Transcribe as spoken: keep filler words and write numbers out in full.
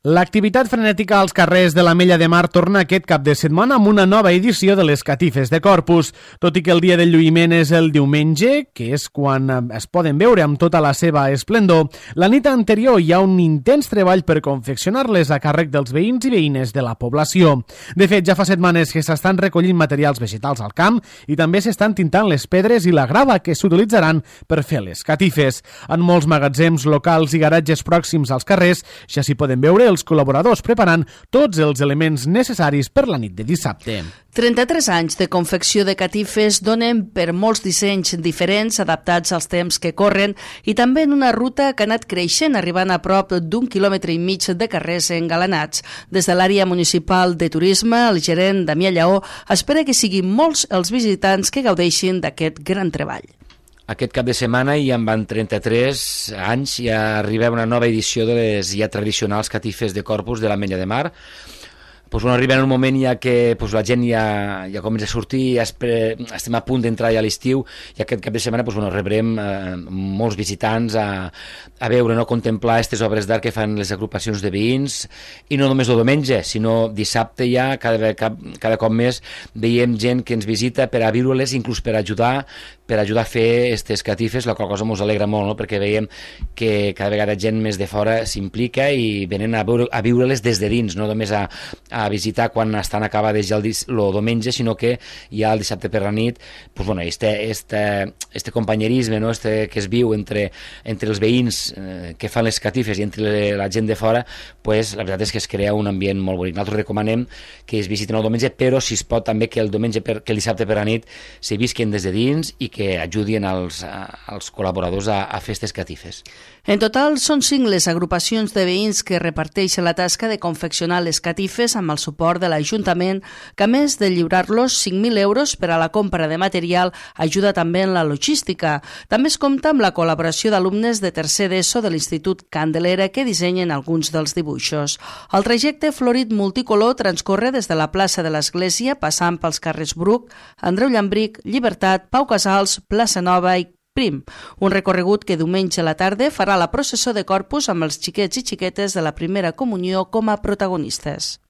L'activitat frenètica als carrers de l'Ametlla de Mar torna aquest cap de setmana amb una nova edició de les catifes de Corpus. Tot i que el dia del lluïment és el diumenge, que és quan es poden veure amb tota la seva esplendor, la nit anterior hi ha un intens treball per confeccionar-les a càrrec dels veïns i veïnes de la població. De fet, ja fa setmanes que s'estan recollint materials vegetals al camp i també s'estan tintant les pedres i la grava que s'utilitzaran per fer les catifes. En molts magatzems locals i garatges pròxims als carrers ja s'hi poden veure els col·laboradors preparant tots els elements necessaris per la nit de dissabte. trenta-tres anys de confecció de catifes donen per molts dissenys diferents adaptats als temps que corren i també en una ruta que ha anat creixent, arribant a prop d'un quilòmetre i mig de carrers engalanats. Des de l'àrea municipal de turisme, el gerent Damià Lleó espera que siguin molts els visitants que gaudeixin d'aquest gran treball. Aquest cap de setmana i en van trenta-tres anys ja arriba una nova edició de les ja tradicionals catifes de Corpus de l'Ametlla de Mar. Pues bueno, arriba en un moment ja que pues, la gent ja, ja comença a sortir, ja espre, estem a punt d'entrar ja a l'estiu i aquest cap de setmana pues, bueno, rebrem eh, molts visitants a, a veure, no, a contemplar aquestes obres d'art que fan les agrupacions de veïns i no només el diumenge, sinó dissabte ja, cada, cada, cada cop més veiem gent que ens visita per a viure-les, inclús per ajudar per ajudar a fer aquestes catifes, la qual cosa ens alegra molt, no? Perquè veiem que cada vegada gent més de fora s'implica i venen a, veure, a viure-les des de dins, no només a, a visitar quan estan acabades ja el, el diumenge, sinó que ja el dissabte per la nit, pues bueno, este, este, este companyerisme, no? Este que es viu entre, entre els veïns eh, que fan les catifes i entre la gent de fora, pues, la veritat és que es crea un ambient molt bonic. Nosaltres recomanem que es visiten el diumenge, però si es pot també que el diumenge per, que el dissabte per la nit se visquen des de dins i que ajudin als, als col·laboradors a, a fer aquestes catifes. En total, són cinc les agrupacions de veïns que reparteixen la tasca de confeccionar les catifes amb el suport de l'Ajuntament, que a més de lliurar-los cinc mil euros per a la compra de material, ajuda també en la logística. També es compta amb la col·laboració d'alumnes de tercer d'ESO de l'Institut Candelera que dissenyen alguns dels dibuixos. El trajecte florit multicolor transcorre des de la plaça de l'Església, passant pels carrers Bruc, Andreu Llambric, Llibertat, Pau Casals, Plaça Nova i Prim, un recorregut que diumenge a la tarda farà la processó de Corpus amb els xiquets i xiquetes de la primera comunió com a protagonistes.